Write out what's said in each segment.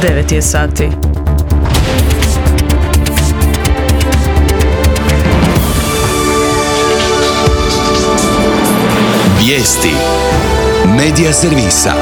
9 je sati. Vijesti Medija servisa.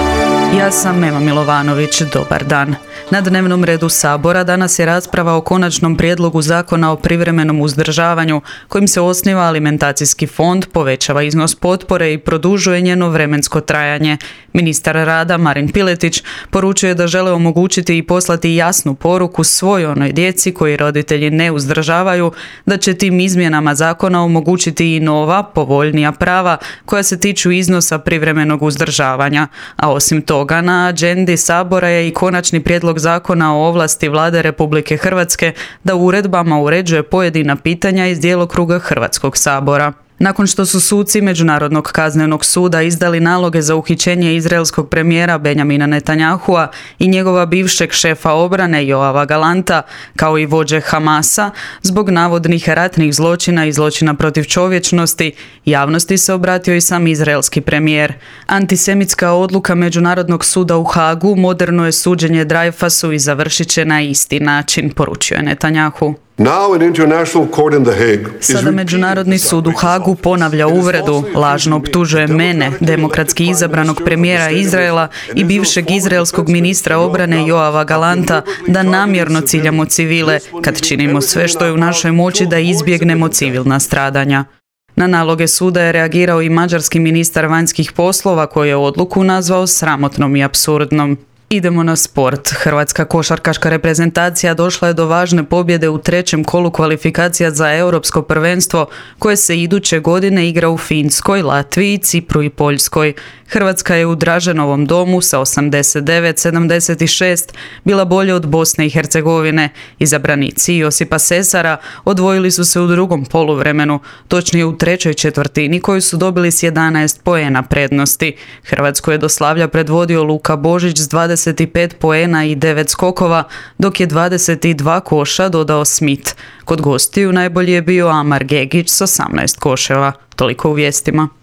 Ja sam Ema Milovanović, dobar dan. Na dnevnom redu Sabora danas je rasprava o konačnom prijedlogu zakona o privremenom uzdržavanju kojim se osniva alimentacijski fond, povećava iznos potpore i produžuje njeno vremensko trajanje. Ministar rada Marin Piletić poručuje da žele omogućiti i poslati jasnu poruku svoj onoj djeci koji roditelji ne uzdržavaju, da će tim izmjenama zakona omogućiti i nova, povoljnija prava koja se tiču iznosa privremenog uzdržavanja. A osim toga, na agendi Sabora je i konačni prijedlog zakona o ovlasti Vlade Republike Hrvatske da uredbama uređuje pojedina pitanja iz djelokruga Hrvatskog sabora. Nakon što su suci Međunarodnog kaznenog suda izdali naloge za uhićenje izraelskog premijera Benjamina Netanyahua i njegova bivšeg šefa obrane Joava Galanta, kao i vođe Hamasa, zbog navodnih ratnih zločina i zločina protiv čovječnosti, javnosti se obratio i sam izraelski premijer. Antisemitska odluka Međunarodnog suda u Hagu moderno je suđenje Dreyfusu i završit će na isti način, poručio je Netanyahu. Sada Međunarodni sud u Hagu ponavlja uvredu, lažno optužuje mene, demokratski izabranog premijera Izraela i bivšeg izraelskog ministra obrane Joava Galanta, da namjerno ciljamo civile kad činimo sve što je u našoj moći da izbjegnemo civilna stradanja. Na naloge suda je reagirao i mađarski ministar vanjskih poslova koji je odluku nazvao sramotnom i apsurdnom. Idemo na sport. Hrvatska košarkaška reprezentacija došla je do važne pobjede u trećem kolu kvalifikacija za europsko prvenstvo koje se iduće godine igra u Finskoj, Latviji, Cipru i Poljskoj. Hrvatska je u Draženovom domu sa 89-76 bila bolje od Bosne i Hercegovine. Izabranici Josipa Sesara odvojili su se u drugom poluvremenu, točnije u trećoj četvrtini koju su dobili s 11 poena prednosti. Hrvatsku je do slavlja predvodio Luka Božić s 25 poena i 9 skokova, dok je 22 koša dodao Smith. Kod gostiju najbolji je bio Amar Gegić s 18 koševa. Toliko u vijestima.